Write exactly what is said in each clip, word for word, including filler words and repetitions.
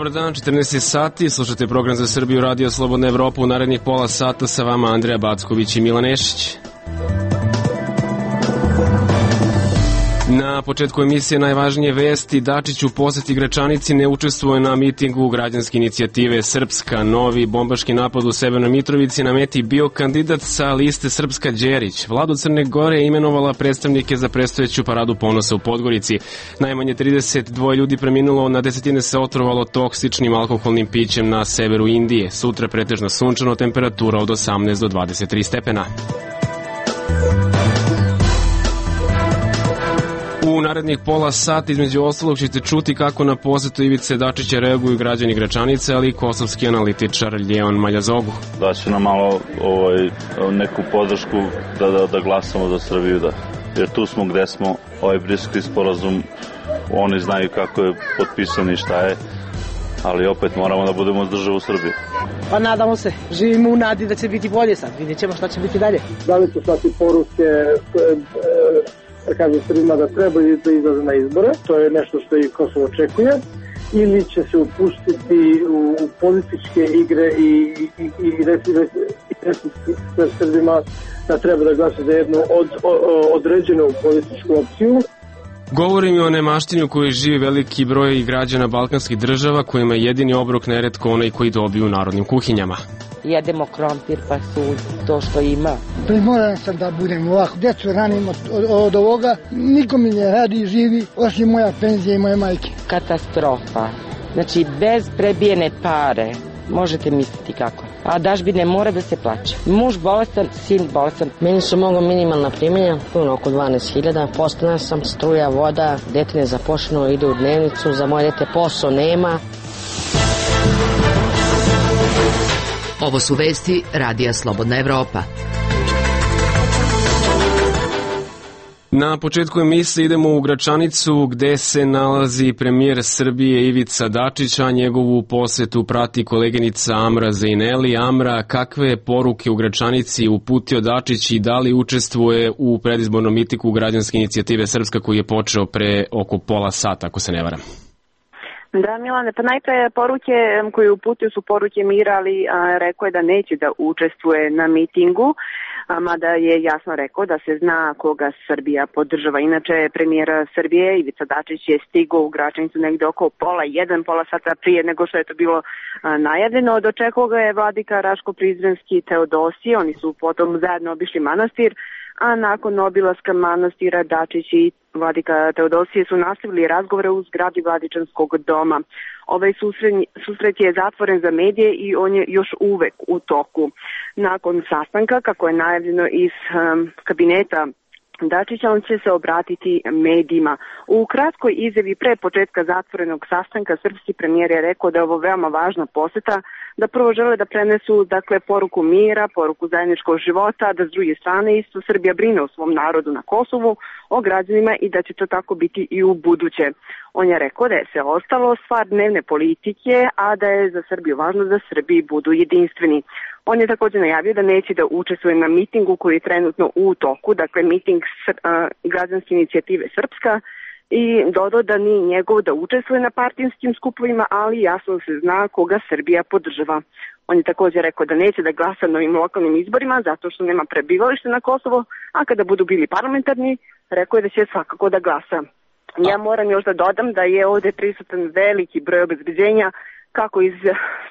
Dobar dan, četrnaest sati, slušate program za Srbiju, Radio Slobodna Evropa. U narednih pola sata sa vama Andreja Backović i Milan Nešić. Na početku emisije najvažnije vesti. Dačić u poseti Gračanici, ne učestvuje na mitingu građanske inicijative Srpska. Novi bombaški napad u Severnoj Mitrovici, na meti bio kandidat sa liste Srpska Đerić. Vlada Crne Gore je imenovala predstavnike za predstojeću paradu ponosa u Podgorici. Najmanje trideset dva ljudi preminulo, na desetine se otrovalo toksičnim alkoholnim pićem na severu Indije. Sutra pretežno sunčano, temperatura od osamnaest do dvadeset tri stepena. U narednih pola sata između ostalog ćete čuti kako na posetu Ivice Dačića reaguju građani Gračanice, ali i kosovski analitičar Ljeon Maljazogu. Da će nam malo ovaj, neku podršku da, da, da glasamo za Srbiju, da. Jer tu smo gde smo, ovaj Briselski sporazum, oni znaju kako je potpisan i šta je, ali opet moramo da budemo uz državu Srbiju. Pa nadamo se, živimo u nadi da će biti bolje sad, vidjet ćemo šta će biti dalje. Da li će slati poruke da kaže Srbima da treba da izlaze na izbore, to je nešto što i Kosovo očekuje, ili će se upustiti u, u političke igre i, i, i, i reći Srbima da treba da glasa za jednu od, o, određenu političku opciju. Govorim i o nemaštini u kojoj živi veliki broj građana balkanskih država, kojima je jedini obrok neretko onaj koji dobiju u narodnim kuhinjama. Jedemo krompir pa su to što ima. Primoran sam da budem ovako, djecu ranim od, od, od ovoga, niko mi ne radi i živi, osim moja penzija i moje majke. Katastrofa. Znači, bez prebijene pare, možete misliti kako. A dažbine mora da se plaće. Muž bolestan, sin bolestan. Meni su mogo minimalna primanja, puno oko dvanaest hiljada. Postana sam, struja, voda, dete nezaposleno, ide u dnevnicu, za moje dete posao nema. Ovo su vesti Radija Slobodna Evropa. Na početku emisije idemo u Gračanicu, gde se nalazi premijer Srbije Ivica Dačić, a njegovu posetu prati koleginica Amra Zejneli. Amra, kakve poruke u Gračanici uputio Dačić i da li učestvuje u predizbornom mitingu građanske inicijative Srpska koji je počeo pre oko pola sata, ako se ne varam? Da, Milane, pa najpre poruke koje uputio su poruke mira, ali a, rekao je da neće da učestvuje na mitingu, a, mada je jasno rekao da se zna koga Srbija podržava. Inače, premijer Srbije Ivica Dačić je stigao u Gračanicu negde oko pola jedan, pola sata prije nego što je to bilo a, najavljeno. Dočekao ga je vladika Raško-Prizrenski Teodosije, oni su potom zajedno obišli manastir, a nakon obilaska manastira Dačić i vladika Teodosije su nastavili razgovore u zgradi Vladičanskog doma. Ovaj susret je zatvoren za medije i on je još uvek u toku. Nakon sastanka, kako je najavljeno iz um, kabineta Dačića, on će se obratiti medijima. U kratkoj izjavi pre početka zatvorenog sastanka srpski premijer je rekao da je ovo veoma važna poseta, da prvo žele da prenesu dakle poruku mira, poruku zajedničkog života, da s druge strane isto Srbija brine o svom narodu na Kosovu, o građanima i da će to tako biti i u buduće. On je rekao da je sve ostalo stvar dnevne politike, a da je za Srbiju važno da Srbiji budu jedinstveni. On je također najavio da neće da učestvuje na mitingu koji je trenutno u toku, dakle miting uh, građanske inicijative Srpska, i dodao da nije njegov da učestvuje na partijskim skupovima, ali jasno se zna koga Srbija podržava. On je također rekao da neće da glasa na ovim lokalnim izborima zato što nema prebivalište na Kosovo, a kada budu bili parlamentarni, rekao je da će svakako da glasa. Ja moram još da dodam da je ovde prisutan veliki broj obezbeđenja kako iz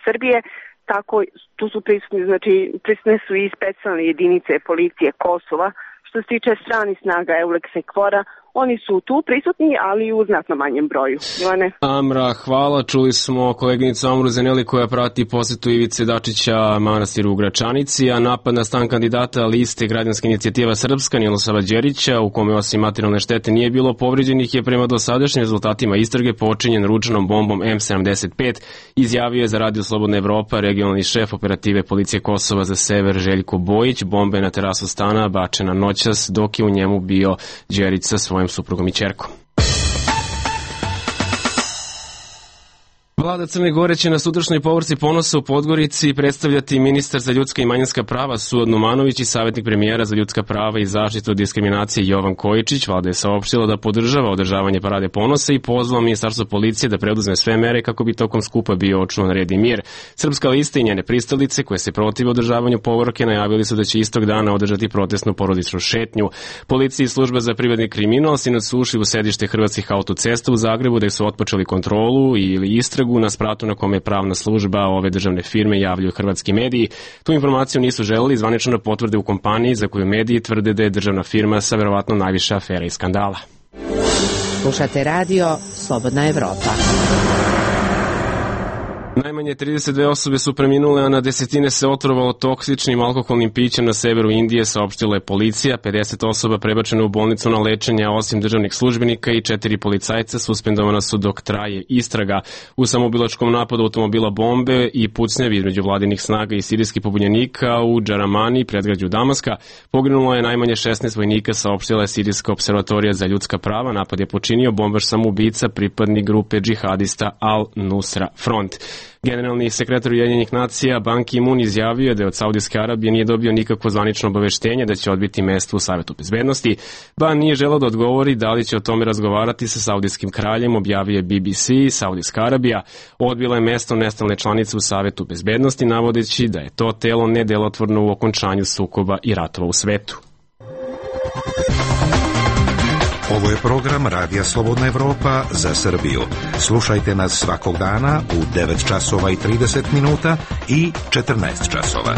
Srbije, tako tu su prisutni, znači prisutne su i specijalne jedinice policije Kosova. Što se tiče stranih snaga Euleksa i Kvora, oni su tu prisutni, ali u znatno manjem broju. Milane? Amra, hvala. Čuli smo koleginicu Amru Zejneli koja prati posetu Ivice Dačića manastiru u Gračanici, a napad na stan kandidata liste građanske inicijativa Srpska Nilosava Đerića, u kome osim materijalne štete nije bilo povređenih, je prema dosadašnjim rezultatima istrage počinjen ručnom bombom M sedamdeset pet, izjavio je za Radio Slobodna Evropa regionalni šef operative policije Kosova za sever Željko Bojić. Bomba je na terasu stana bačena noćas dok je u njemu bio Đerić sa svojim suprugom i ćerkom. Vlada Crne Gore će na sutrašnjoj povorci Ponosa u Podgorici predstavljati ministar za ljudska i manjinska prava Suad Numanović i savjetnik premijera za ljudska prava i zaštitu od diskriminacije Jovan Kojičić. Vlada je saopštila da podržava održavanje Parade Ponosa i pozvala Ministarstvo policije da preduzme sve mere kako bi tokom skupa bio očuvan red i mir. Srpska lista i njene pristalice koje se protive održavanju povorke najavili su da će istog dana održati protestnu porodičnu šetnju. Policija i služba za privredni kriminal sinoć su ušli u sedište Hrvatskih autocesta u Zagrebu da su otpočeli kontrolu ili istragu na spratu na kome je pravna služba ove državne firme javljaju hrvatski mediji. Tu informaciju nisu želeli zvanično da potvrde u kompaniji za koju mediji tvrde da je državna firma sa verovatno najviše afera i skandala. Slušate radio Slobodna Evropa. Najmanje trideset dve osobe su preminule, a na desetine se otrovalo toksičnim alkoholnim pićem na severu Indije, saopštila je policija. pedeset osoba prebačeno u bolnicu na lečenje, a osim državnih službenika i četiri policajca suspendovana su dok traje istraga. U samobilačkom napadu automobila bombe i pucnjavi između vladinih snaga i sirijskih pobunjenika u Džaramani, predgrađu Damaska, poginulo je najmanje šesnaest vojnika, saopštila je Sirijska observatorija za ljudska prava. Napad je počinio bombaš samoubica, pripadnik grupe džihadista Al-Nusra Front. Generalni sekretar Ujedinjenih nacija Ban Ki-moon izjavio je da od Saudijske Arabije nije dobio nikakvo zvanično obaveštenje da će odbiti mesto u Savetu bezbednosti. Ban nije želeo da odgovori da li će o tome razgovarati sa saudijskim kraljem, objavio je B B C. Saudijska Arabija odbila je mesto nestalne članice u Savetu bezbednosti, navodeći da je to telo nedelotvorno u okončanju sukoba i ratova u svetu. Ovo je program Radija Slobodna Evropa za Srbiju. Slušajte nas svakog dana u devet časova i trideset minuta i četrnaest časova.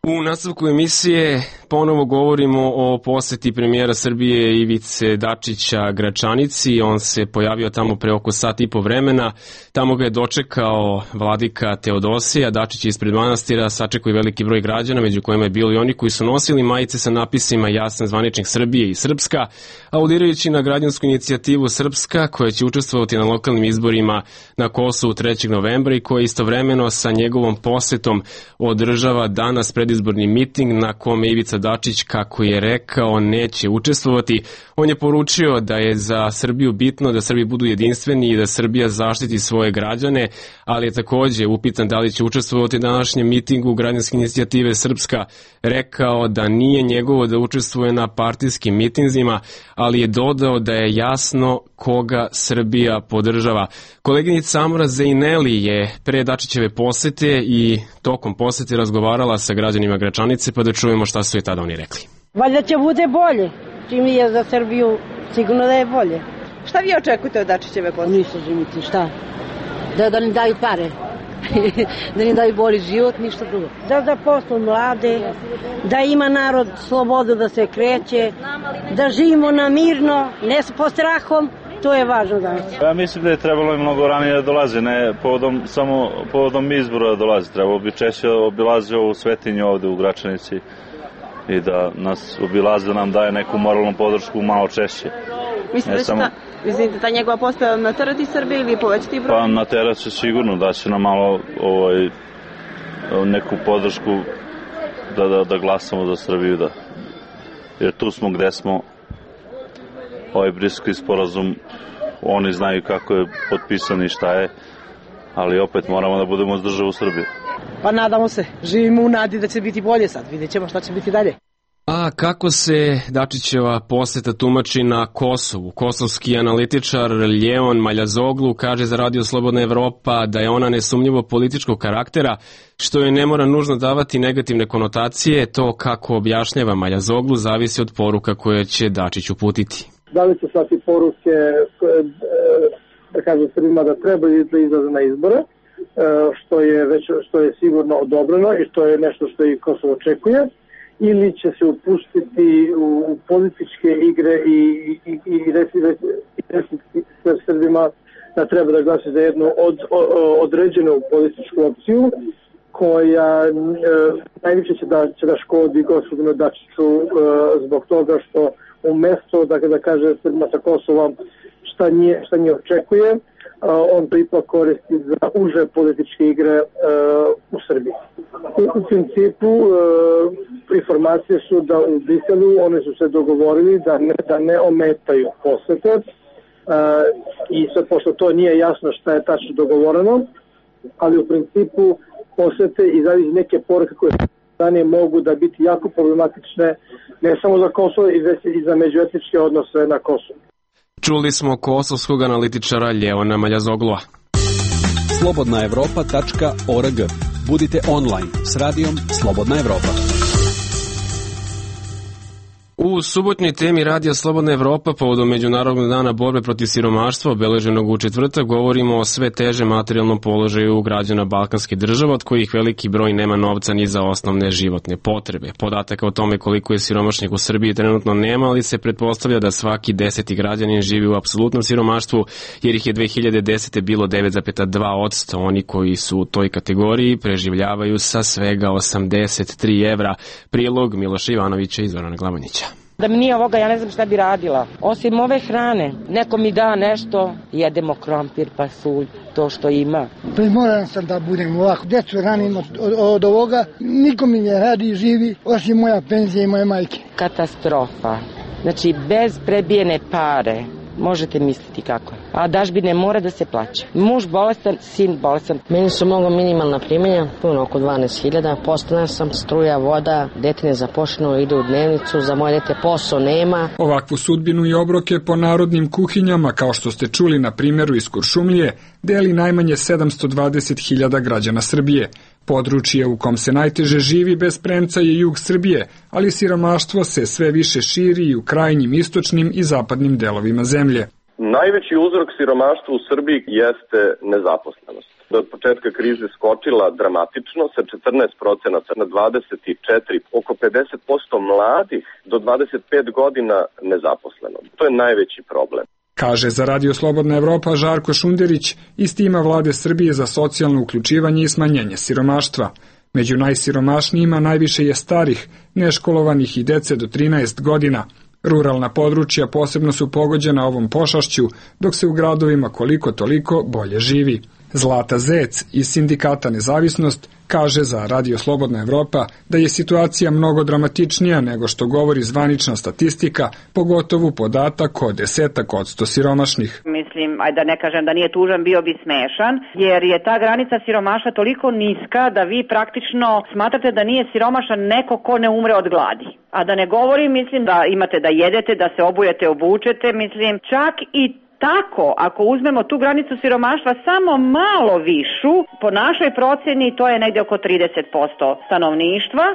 U nastavku emisije ponovo govorimo o poseti premijera Srbije Ivice Dačića Gračanici. On se pojavio tamo pre oko sat i po vremena. Tamo ga je dočekao vladika Teodosija. Dačić je ispred manastira sačekao i veliki broj građana, među kojima je bilo i oni koji su nosili majice sa napisima Jasan zvaničnik Srbije i Srpska, audirajući na građansku inicijativu Srpska koja će učestvovati na lokalnim izborima na Kosovu trećeg novembra i koja istovremeno sa njegovom posetom održava danas predizborni miting na kome Ivica Dačić, kako je rekao, neće učestvovati. On je poručio da je za Srbiju bitno da Srbi budu jedinstveni i da Srbija zaštiti svoje građane, ali je takođe upitan da li će učestvovati u današnjem mitingu građanske inicijative Srpska. Rekao da nije njegovo da učestvuje na partijskim mitinzima, ali je dodao da je jasno koga Srbija podržava. Koleginica Amra Zejneli je pre Dačićeve posete i tokom posete razgovarala sa građanima Gračanice, pa da čujemo šta su je tada oni rekli. Valjda će bude bolje, čim je za Srbiju sigurno da je bolje. Šta vi očekujete od Dačićeve posete? Ništa, živiti, šta? Da, da ne daju pare, da ne daju bolji život, ništa drugo. Da zaposlu mlade, da ima narod slobodu da se kreće, da živimo na mirno, ne pod strahom. To je važno danas. Ja mislim da je trebalo i mnogo ranije da dolaze, ne povodom, samo povodom izbora da dolaze. Trebalo bi češće obilazi ovu svetinju ovde u Gračanici i da nas obilaze, da nam daje neku moralnu podršku malo češće. Mislite da će ta, mislite, ta njegova poseta naterati Srbije ili povećati broj? Pa naterat će sigurno, da će nam malo ovaj, neku podršku da, da, da glasamo za Srbiju, da. Jer tu smo gde smo. Ovaj Briselski sporazum, oni znaju kako je potpisan i šta je, ali opet moramo da budemo uz državu Srbiju. Pa nadamo se, živimo u nadi da će biti bolje sad, vidjet ćemo šta će biti dalje. A kako se Dačićeva poseta tumači na Kosovu? Kosovski analitičar Ljeon Maljazoglu kaže za Radio Slobodna Evropa da je ona nesumnjivo političkog karaktera, što je ne mora nužno davati negativne konotacije. To, kako objašnjava Maljazoglu, zavisi od poruka koje će Dačić uputiti. Da li će slati poruke, da kažem Srbima da treba da izlaze na izbore, što je, već, što je sigurno odobreno i što je nešto što i Kosovo očekuje, ili će se upustiti u političke igre i, i, i, i reći Srbima da treba da glasi za jednu od, određenu političku opciju koja e, najviše će da, će da škodi gospodinu Dačiću e, zbog toga što umesto da, da kaže Srbima sa Kosovom šta nje, šta nje očekuje, on to ipak koristi za uže političke igre u Srbiji. U principu informacije su da u Briselu oni su se dogovorili da ne, da ne ometaju posete i sad pošto to nije jasno šta je tačno dogovoreno, ali u principu posete i neke poruke koje strane mogu da biti jako problematične ne samo za Kosovo i već i za međuetničke odnose na Kosovu. Čuli smo kosovskog analitičara Ljevona Maljazoglua. slobodna evropa tačka org. Budite online s radijom Slobodna Evropa. U subotnjoj temi Radija Slobodna Evropa povodom Međunarodnog dana borbe protiv siromaštva obeleženog u četvrtak govorimo o sve težem materijalnom položaju građana balkanskih država, od kojih veliki broj nema novca ni za osnovne životne potrebe. Podataka o tome koliko je siromašnih u Srbiji trenutno nema, ali se pretpostavlja da svaki deseti građanin živi u apsolutnom siromaštvu, jer ih je dve hiljade desete. bilo devet zarez dva posto. Oni koji su u toj kategoriji preživljavaju sa svega osamdeset tri evra. Prilog Miloša Ivanovića i Zorana Glavanića. Da mi nije ovoga, ja ne znam šta bi radila. Osim ove hrane, neko mi da nešto, jedemo krompir, pasulj, to što ima. Primoran sam da budem ovako. Decu ranim od, od, od ovoga, niko mi ne radi, živi, osim moja penzija i moje majke. Katastrofa. Znači, bez prebijene pare, možete misliti kako. A dažbine mora da se plaća. Muž bolestan, sin bolestan. Meni su mnogo minimalna primanja, puno oko dvanaest hiljada. Postana sam, struja, voda, dete nezaposleno, ide u dnevnicu, za moje dete posao nema. Ovakvu sudbinu i obroke po narodnim kuhinjama, kao što ste čuli na primjeru iz Kuršumlije, deli najmanje sedamsto dvadeset hiljada građana Srbije. Područje u kom se najteže živi bez premca je jug Srbije, ali siromaštvo se sve više širi i u krajnjim istočnim i zapadnim delovima zemlje. Najveći uzrok siromaštva u Srbiji jeste nezaposlenost. Do početka krize skočila dramatično sa četrnaest procenata na dvadeset četiri, oko pedeset posto mladih do dvadeset pet godina nezaposleno. To je najveći problem. Kaže za Radio Slobodna Evropa Žarko Šunderić iz tima vlade Srbije za socijalno uključivanje i smanjenje siromaštva. Među najsiromašnijima najviše je starih, neškolovanih i dece do trinaest godina. Ruralna područja posebno su pogođena ovom pošašću, dok se u gradovima koliko toliko bolje živi. Zlata Zec iz sindikata Nezavisnost kaže za Radio Slobodna Evropa da je situacija mnogo dramatičnija nego što govori zvanična statistika, pogotovo podatak o desetak odsto siromašnih. Mislim, aj da ne kažem da nije tužan, bio bi smešan, jer je ta granica siromaštva toliko niska da vi praktično smatrate da nije siromašan neko ko ne umre od gladi. A da ne govorim, mislim da imate da jedete, da se obujete, obučete, mislim, čak i tako, ako uzmemo tu granicu siromaštva samo malo višu, po našoj procjeni to je negde oko trideset posto stanovništva.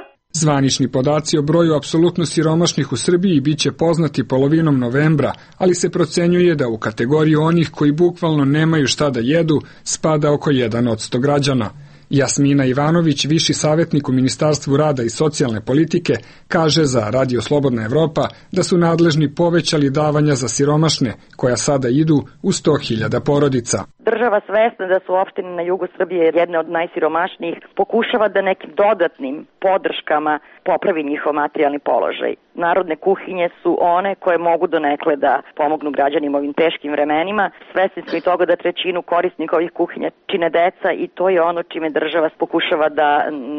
Zvanični podaci o broju apsolutno siromašnih u Srbiji biće poznati polovinom novembra, ali se procenjuje da u kategoriju onih koji bukvalno nemaju šta da jedu spada oko jedan od sto građana. Jasmina Ivanović, viši savjetnik u Ministarstvu rada i socijalne politike, kaže za Radio Slobodna Evropa da su nadležni povećali davanja za siromašne, koja sada idu u sto hiljada porodica. Država svesna da su opštine na jugu Srbije jedne od najsiromašnijih, pokušava da nekim dodatnim podrškama popravi njihov materijalni položaj. Narodne kuhinje su one koje mogu donekle da pomognu građanima ovim teškim vremenima. Svesni smo i toga da trećinu korisnika ovih kuhinja čine deca i to je ono čime država pokušava da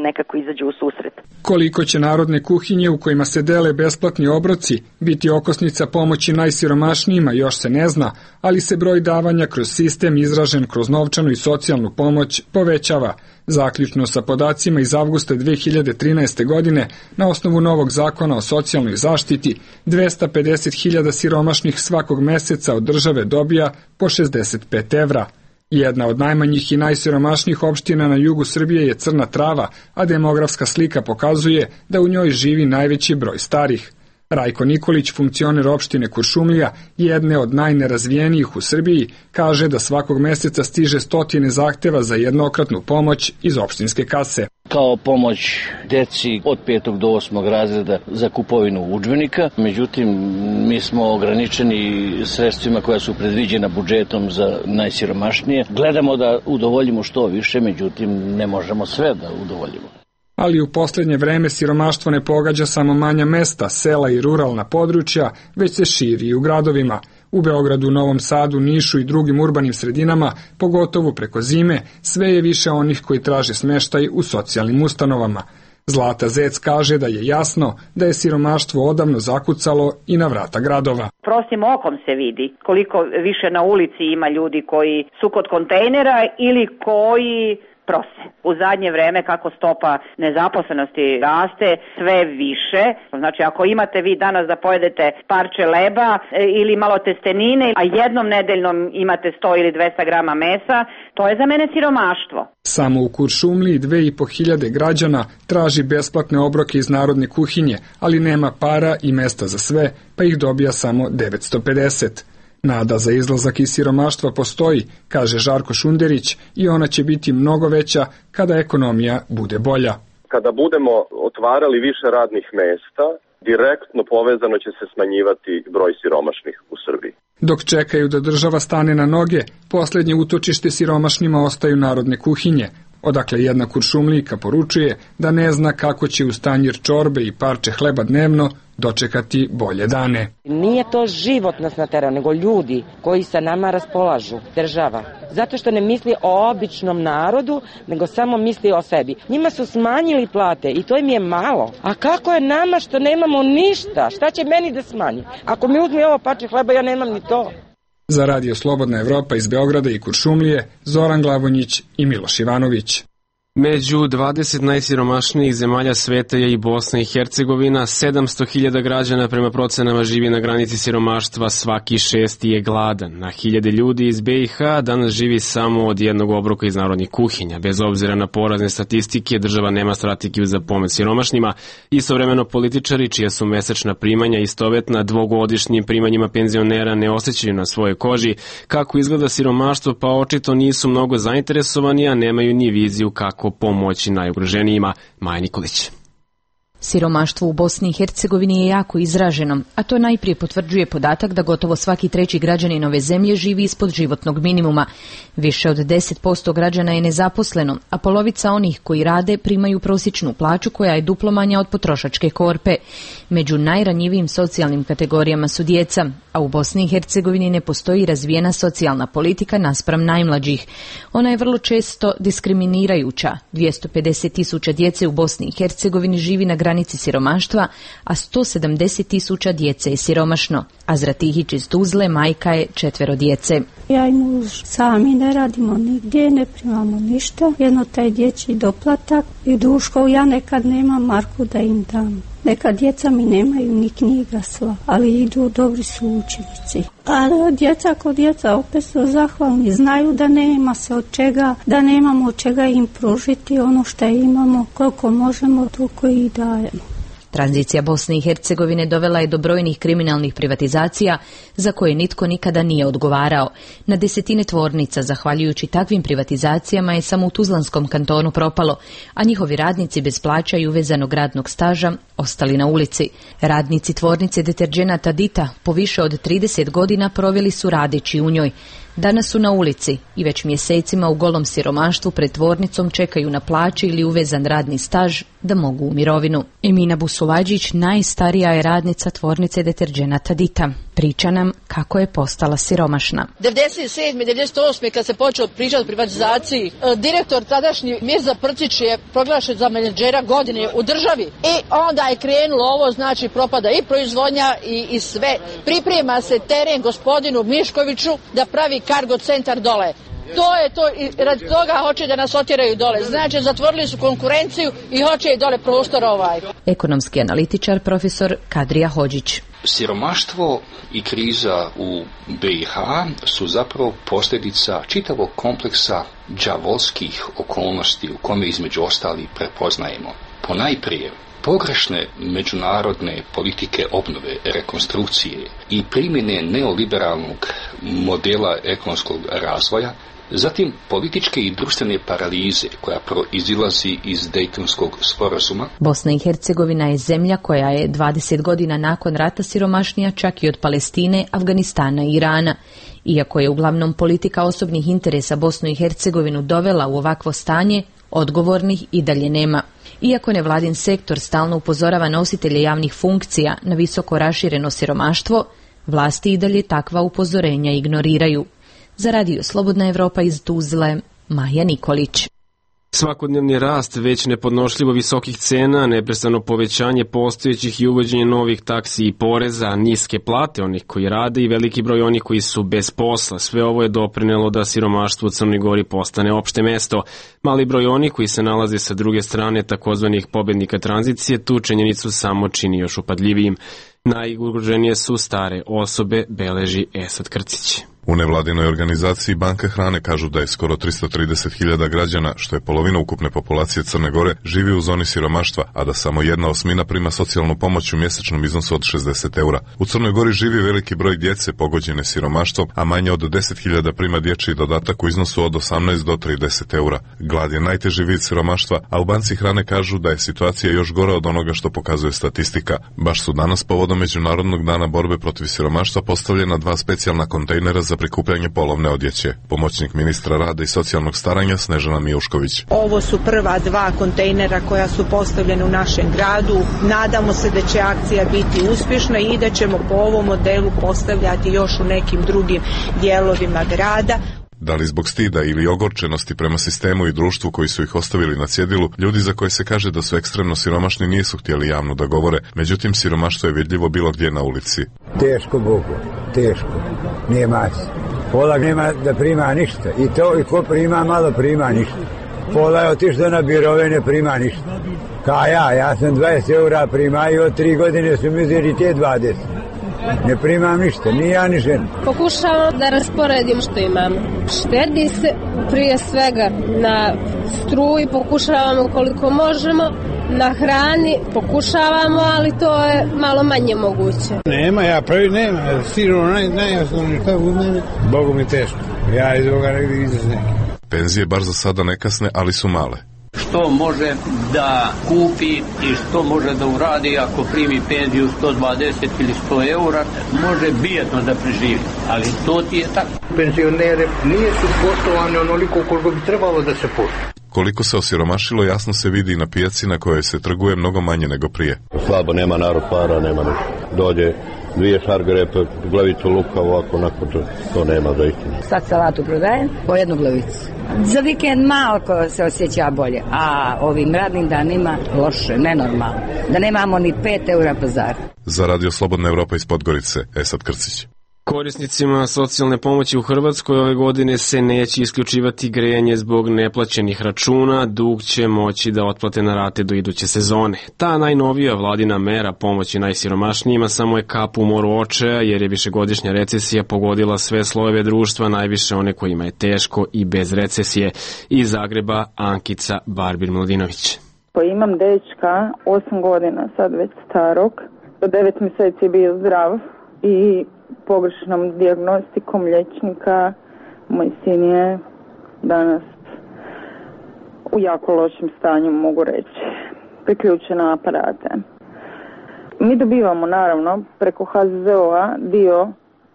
nekako izađe u susret. Koliko će narodne kuhinje u kojima se dele besplatni obroci biti okosnica pomoći najsiromašnijima još se ne zna, ali se broj davanja kroz sistem izražen kroz novčanu i socijalnu pomoć povećava. Zaključno sa podacima iz avgusta dve hiljade trinaeste. godine, na osnovu novog zakona o socijalnoj zaštiti, dvesta pedeset hiljada siromašnih svakog meseca od države dobija po šezdeset pet evra. Jedna od najmanjih i najsiromašnijih opština na jugu Srbije je Crna Trava, a demografska slika pokazuje da u njoj živi najveći broj starih. Rajko Nikolić, funkcioner opštine Kuršumlija, jedne od najnerazvijenijih u Srbiji, kaže da svakog meseca stiže stotine zahteva za jednokratnu pomoć iz opštinske kase. Kao pomoć deci od petog do osmog razreda za kupovinu udžbenika, međutim mi smo ograničeni sredstvima koja su predviđena budžetom za najsiromašnije. Gledamo da udovoljimo što više, međutim ne možemo sve da udovoljimo. Ali u posljednje vreme siromaštvo ne pogađa samo manja mesta, sela i ruralna područja, već se širi i u gradovima. U Beogradu, Novom Sadu, Nišu i drugim urbanim sredinama, pogotovo preko zime, sve je više onih koji traže smeštaj u socijalnim ustanovama. Zlata Zec kaže da je jasno da je siromaštvo odavno zakucalo i na vrata gradova. Prostim okom se vidi koliko više na ulici ima ljudi koji su kod kontejnera ili koji prose. U zadnje vreme kako stopa nezaposlenosti raste sve više, znači ako imate vi danas da pojedete parče leba ili malo testenine, a jednom nedeljnom imate sto ili dvesta grama mesa, to je za mene siromaštvo. Samo u Kuršumliji dve i po hiljade građana traži besplatne obroke iz narodne kuhinje, ali nema para i mesta za sve, pa ih dobija samo devetsto pedeset. Nada za izlazak iz siromaštva postoji, kaže Žarko Šunderić, i ona će biti mnogo veća kada ekonomija bude bolja. Kada budemo otvarali više radnih mesta, direktno povezano će se smanjivati broj siromašnih u Srbiji. Dok čekaju da država stane na noge, posljednje utočište siromašnima ostaju narodne kuhinje, odakle jedna Kuršumlijka poručuje da ne zna kako će uz tanjir čorbe i parče hleba dnevno dočekati bolje dane. Nije to život nas naterao, nego ljudi koji sa nama raspolažu, država. Zato što ne misli o običnom narodu, nego samo misli o sebi. Njima su smanjili plate i to im je malo. A kako je nama što nemamo ništa? Šta će meni da smanji? Ako mi uzme ovo parče hleba, ja nemam ni to. Za Radio Slobodna Evropa iz Beograda i Kuršumlije, Zoran Glavonjić i Miloš Ivanović. Među dvadeset najsiromašnijih zemalja sveta je i Bosna i Hercegovina. sedamsto hiljada građana prema procenama živi na granici siromaštva, svaki šesti je gladan. Na hiljade ljudi iz be i ha danas živi samo od jednog obroka iz narodnih kuhinja. Bez obzira na porazne statistike, država nema strategiju za pomoć siromašnima. Istovremeno političari, čija su mesečna primanja istovetna dvogodišnjim primanjima penzionera, ne osjećaju na svojoj koži kako izgleda siromaštvo, pa očito nisu mnogo zainteresovani, a nemaju ni viziju kako pomoći najugroženijima. Maja Nikolić. Siromaštvo u Bosni i Hercegovini je jako izraženo, a to najprije potvrđuje podatak da gotovo svaki treći građanin ove zemlje živi ispod životnog minimuma. Više od deset posto građana je nezaposleno, a polovica onih koji rade primaju prosječnu plaću koja je duplo manja od potrošačke korpe. Među najranjivijim socijalnim kategorijama su djeca, a u Bosni i Hercegovini ne postoji razvijena socijalna politika naspram najmlađih. Ona je vrlo često diskriminirajuća. dvjesto pedeset tisuća djece u Bosni i Hercegovini živi na granici siromaštva, a sto sedamdeset tisuća djece je siromašno. Azra Tihić iz Tuzle majka je četvero djece. Ja i muž sami ne radimo nigdje, ne primamo ništa. Jedno taj dječji doplatak i duško, ja nekad nemam marku da im dam. Neka djeca mi nemaju ni knjiga sva, ali idu, dobri su učenici. A djeca kod djeca opet su zahvalni, znaju da nema se od čega, da nemamo od čega im pružiti ono što imamo, koliko možemo, toliko i dajemo. Tranzicija Bosne i Hercegovine dovela je do brojnih kriminalnih privatizacija za koje nitko nikada nije odgovarao. Na desetine tvornica, zahvaljujući takvim privatizacijama, je samo u Tuzlanskom kantonu propalo, a njihovi radnici bez plaća i uvezanog radnog staža ostali na ulici. Radnici tvornice deterdženata Dita po više od trideset godina proveli su radeći u njoj. Danas su na ulici i već mjesecima u golom siromaštvu pred tvornicom čekaju na plaće ili uvezan radni staž da mogu u mirovinu. Emina Busuvađić najstarija je radnica tvornice deterdženata Dita. Priča nam kako je postala siromašna. devedeset sedme devedeset osme kad se počeo pričati o privatizaciji, direktor tadašnji Mirza Prcić je proglašen za menadžera godine u državi. I onda je krenulo ovo, znači propada i proizvodnja i, i sve. Priprema se teren gospodinu Miškoviću da pravi kargo centar dole. To je to i radi toga hoće da nas otjeraju dole. Znači zatvorili su konkurenciju i hoće i dole prostor ovaj. Ekonomski analitičar profesor Kadrija Hodžić. Siromaštvo i kriza u be i ha su zapravo posljedica čitavog kompleksa đavolskih okolnosti u kome između ostali prepoznajemo ponajprije pogrešne međunarodne politike obnove, rekonstrukcije i primjene neoliberalnog modela ekonomskog razvoja, zatim političke i društvene paralize koja proizilazi iz Dejtonskog sporazuma. Bosna i Hercegovina je zemlja koja je dvadeset godina nakon rata siromašnija čak i od Palestine, Afganistana i Irana. Iako je uglavnom politika osobnih interesa Bosnu i Hercegovinu dovela u ovakvo stanje, odgovornih i dalje nema. Iako nevladin sektor stalno upozorava nositelje javnih funkcija na visoko rašireno siromaštvo, Vlasti i dalje takva upozorenja ignoriraju. Za Radio Slobodna Evropa iz Tuzle, Maja Nikolić. Svakodnevni rast već nepodnošljivo visokih cena, neprestano povećanje postojećih i uvođenje novih taksi i poreza, niske plate onih koji rade i veliki broj onih koji su bez posla. Sve ovo je doprinelo da siromaštvo u Crnoj Gori postane opšte mesto. Mali broj onih koji se nalaze sa druge strane takozvanih pobednika tranzicije tu činjenicu samo čini još upadljivijim. Najugroženije su stare osobe, beleži Esad Krcić. U nevladinoj organizaciji Banka hrane kažu da je skoro tristo trideset hiljada građana, što je polovina ukupne populacije Crne Gore, živi u zoni siromaštva, a da samo jedna osmina prima socijalnu pomoć u mjesečnom iznosu od šezdeset eura. U Crnoj Gori živi veliki broj djece pogođene siromaštvom, a manje od deset hiljada prima dječji dodatak u iznosu od osamnaest do trideset eura. Glad je najteži vid siromaštva, a u Banci hrane kažu da je situacija još gora od onoga što pokazuje statistika. Baš su danas povodom Međunarodnog dana borbe protiv siromaštva postavljena dva specijalna kontejnera za prikupljanje polovne odjeće. Pomoćnik ministra rada i socijalnog staranja Snežana Mijušković. Ovo su prva dva kontejnera koja su postavljene u našem gradu. Nadamo se da će akcija biti uspješna i da ćemo po ovom modelu postavljati još u nekim drugim dijelovima grada. Da li zbog stida ili ogorčenosti prema sistemu i društvu koji su ih ostavili na cjedilu, ljudi za koje se kaže da su ekstremno siromašni nisu htjeli javno da govore, međutim siromaštvo je vidljivo bilo gdje na ulici. Teško Bogu, teško, nije masi. Pola nema da prima ništa i to i ko prima malo prima ništa. Pola je otišlo na birove, ne prima ništa. Ka ja, ja sam dvadeset eura prima i od tri godine su mi uzeli te dvadeset. Ne primam ništa, ni ja ni žena. Pokušavamo da rasporedimo što imamo. Štedi se prije svega na struji, pokušavamo koliko možemo, na hrani pokušavamo, ali to je malo manje moguće. Nema, ja prvi nema, sigurno naj, najosnovnije što u mene, Bogu mi teško. Ja iz ovoga negdje izraz neki. Penzije bar za sada ne kasne, ali su male. Što može da kupi i što može da uradi ako primi penziju sto dvadeset ili sto eura, može bijedno da preživi, ali to ti je tako. Penzionere nije su poštovane onoliko koliko bi trebalo da se poštuje. Koliko se osiromašilo jasno se vidi i na pijaci na kojoj se trguje mnogo manje nego prije. Slabo, nema narod para, nema ništa. Dođe dvije šargarepe, glavicu luka, ovako, onako, to nema za istinu. Sad salatu prodajem po jednu glavicu. Za vikend malo se osjeća bolje, a ovim radnim danima loše, nenormalno. Da nemamo ni pet eura pazara. Za Radio Slobodna Evropa iz Podgorice, Esad Krcić. Korisnicima socijalne pomoći u Hrvatskoj ove godine se neće isključivati grejanje zbog neplaćenih računa, dug će moći da otplate na rate do iduće sezone. Ta najnovija vladina mera pomoći najsiromašnijima samo je kap u moru očaja jer je višegodišnja recesija pogodila sve slojeve društva, najviše one kojima je teško i bez recesije. Iz Zagreba Ankica Barbir-Mladinović. Pa imam dečka, osam godina, sad već starog, do devet mjeseci je bio zdrav i pogrešnom dijagnostikom liječnika moj sin je danas u jako lošem stanju, mogu reći, priključen na aparate. Mi dobivamo naravno preko H Z Z O-a dio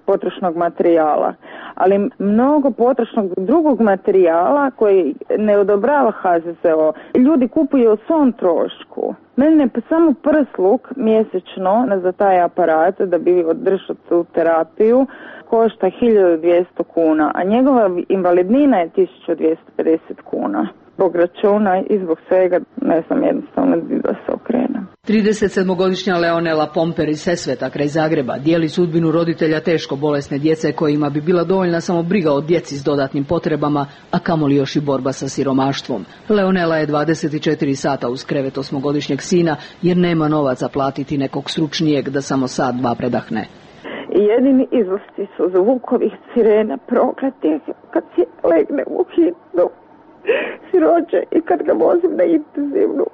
potrošnog materijala, ali mnogo potrošnog drugog materijala koji ne odobrava H Z Z O. Ljudi kupuju o svom trošku. Mene pa samo prsluk mjesečno za taj aparat da bi održao tu terapiju košta hiljadu dvjesto kuna, a njegova invalidnina je tisuću dvjesto pedeset kuna. Zbog računa i zbog svega ne znam jednostavno da se okrenem. tridesetsedmogodišnja Leonela Pomper iz Sesveta kraj Zagreba dijeli sudbinu roditelja teško bolesne djece kojima bi bila dovoljna samo briga o djeci s dodatnim potrebama, a kamoli još i borba sa siromaštvom. Leonela je dvadeset četiri sata uz krevet osmogodišnjeg sina jer nema novaca platiti nekog stručnijeg da samo sat dva predahne. I jedini izlasci su zvukovih sirena prokletih kad se legne u hitnu siroče i kad ga vozim na intenzivnu.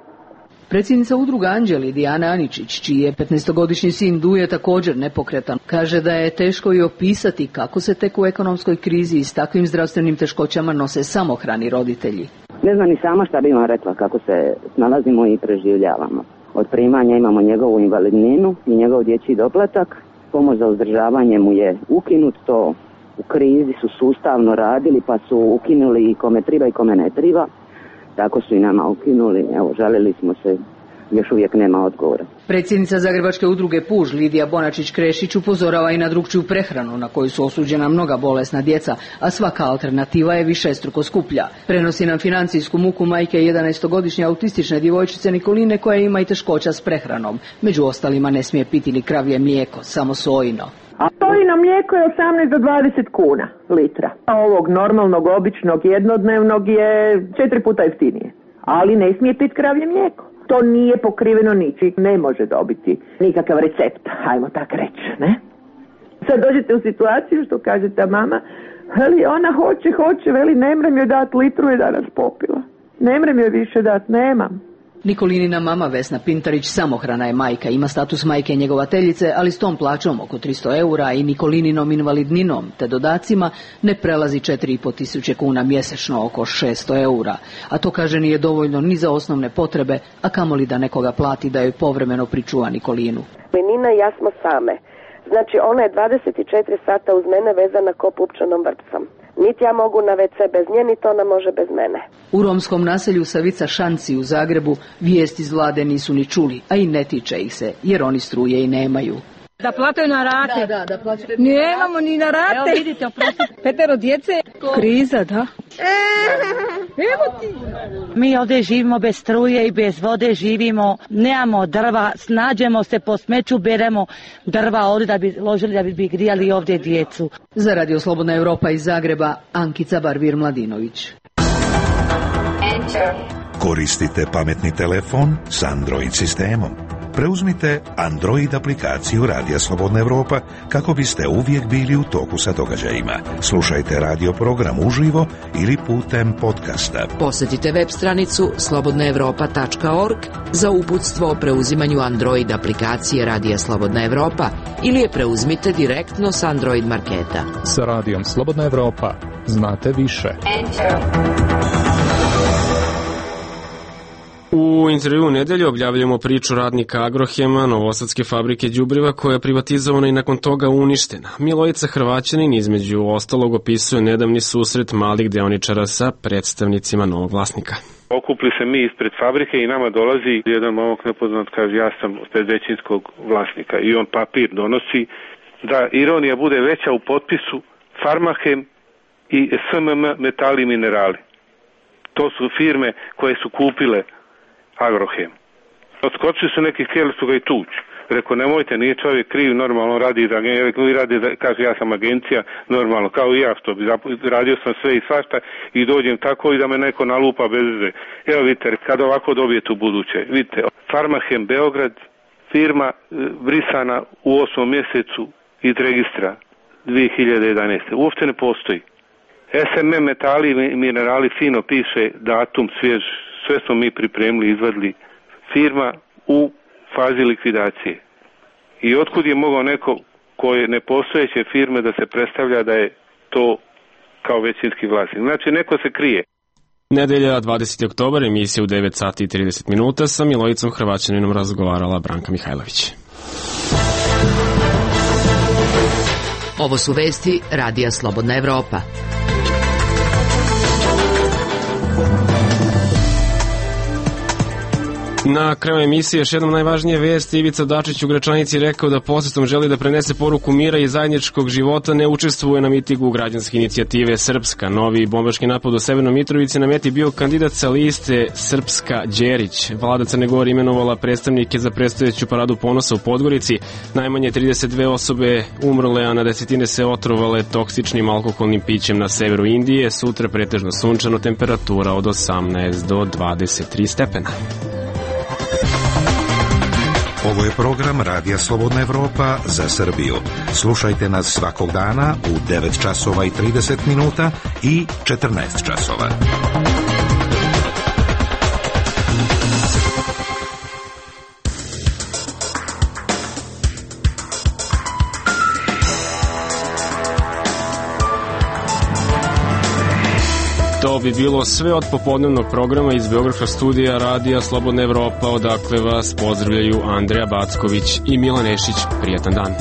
Predsjednica udruga Anđeli Dijana Aničić, čiji je petnaestogodišnji sin Duje također nepokretan, kaže da je teško i opisati kako se tek u ekonomskoj krizi i s takvim zdravstvenim teškoćama nose samohrani roditelji. Ne znam ni sama šta bi vam rekla kako se snalazimo i preživljavamo. Od primanja imamo njegovu invalidninu i njegov dječji doplatak. Pomoć za uzdržavanje mu je ukinut, to u krizi su sustavno radili pa su ukinuli i kome triba i kome ne triba. Tako su i nama ukinuli, evo žalili smo se još uvijek nema odgovora. Predsjednica Zagrebačke udruge Puž Lidija Bonačić-Krešić upozorava i na drukčiju prehranu na koju su osuđena mnoga bolesna djeca, a svaka alternativa je višestruko skuplja. Prenosi nam financijsku muku majke jedanaestogodišnje autistične djevojčice Nikoline koja ima i teškoća s prehranom. Među ostalima ne smije piti ni kravlje mlijeko, samo sojino. A sojino mlijeko je osamnaest do dvadeset kuna litra. A ovog normalnog, običnog, jednodnevnog je četiri puta jeftinije. Ali ne smije piti kravlje mlijeko. To nije pokriveno ničim, ne može dobiti nikakav recept, hajmo tak reći, ne? Sad dođete u situaciju što kaže ta mama, veli ona hoće, hoće, veli ne mrem joj dat, litru je danas popila. Ne mrem joj više dat, nemam. Nikolinina mama Vesna Pintarić samohrana je majka, ima status majke njegovateljice, ali s tom plaćom oko tristo eura i Nikolininom invalidninom te dodacima ne prelazi četiri i pol tisuće kuna mjesečno, oko šesto eura. A to kaže nije dovoljno ni za osnovne potrebe, a kamoli da nekoga plati da joj povremeno pričuva Nikolinu. Nina i ja smo same. Znači ona je dvadeset četiri sata uz mene vezana ko pupčanom vrpcom. Niti ja mogu na ve ce bez nje, niti ona može bez mene. U romskom naselju Savica Šanci u Zagrebu vijesti iz vlade nisu ni čuli, a i ne tiče ih se, jer oni struje i nemaju. Da plataju na rate. Da, da, da plataju. Nemamo ni na rate. Evo vidite, oprostite. Petero djece. Kriza, da. Evo ti. Mi ovdje živimo bez struje i bez vode živimo, nemamo drva, snađemo se po smeću, beremo drva ovdje da bi ložili, da bi grijali ovdje djecu. Za Radio Slobodna Europa iz Zagreba, Ankica Barvir Mladinović. Koristite pametni telefon s Android sistemom. Preuzmite Android aplikaciju Radija Slobodna Europa kako biste uvijek bili u toku sa događajima. Slušajte radio program uživo ili putem podcasta. Posjetite web stranicu slobodna europa tačka org za uputstvo o preuzimanju Android aplikacije Radija Slobodna Europa ili je preuzmite direktno s Android marketa. Sa Radijom Slobodna Europa znate više. U intervju u nedelju objavljamo priču radnika Agrohema, novosadske fabrike đubriva koja je privatizovana i nakon toga uništena. Milojica Hrvaćanin između ostalog opisuje nedavni susret malih deoničara sa predstavnicima novog vlasnika. Okupli se mi ispred fabrike i nama dolazi jedan momak nepoznat, kaže ja sam od većinskog vlasnika i on papir donosi da ironija bude veća u potpisu Farmahem i es em em Metali i Minerali. To su firme koje su kupile Agrohem. Odskočili su neki, htjeli su ga i tući. Rekao, nemojte, nije čovjek kriv, normalno radi za agenciju, radi, kaže ja sam agencija, normalno, kao i ja što bi radio sam sve i svašta i dođem tako i da me neko nalupa bez veze. Evo vidite, kad ovako dobijete u buduće, vidite, Farmahem Beograd, firma brisana u osmom mjesecu iz registra dvije hiljade jedanaeste. Uopće ne postoji. es em em Metali i Minerali fino piše datum svjež, sve smo mi pripremili, izvadili, firma u fazi likvidacije. I otkud je mogao neko koje nepostojeće firme da se predstavlja da je to kao većinski vlasnik. Znači neko se krije. Nedelja dvadeseti oktobar, emisija u devet sati i trideset minuta, sa Milojicom Hrvaćaninom razgovarala Branka Mihajlović. Ovo su vesti Radija Slobodna Evropa. Na kraju emisije još jednom najvažnije vesti. Ivica Dačić u Gračanici rekao da posjetom želi da prenese poruku mira i zajedničkog života, ne učestvuje na mitingu građanske inicijative Srpska. Novi bombaški napad u Severnoj Mitrovici na meti bio kandidat sa liste Srpska Đerić. Vlada Crne Gore imenovala predstavnike za predstojeću paradu ponosa u Podgorici. Najmanje trideset dve osobe umrle, a na desetine se otrovale toksičnim alkoholnim pićem na severu Indije. Sutra pretežno sunčano, temperatura od osamnaest do dvadeset tri stepena. Ovo je program Radija Slobodna Evropa za Srbiju. Slušajte nas svakog dana u devet časova i trideset minuta i četrnaest časova. To bi bilo sve od popodnevnog programa iz Beogradskog studija Radija Slobodna Evropa, odakle vas pozdravljaju Andreja Backović i Milan Ešić. Prijetan dan.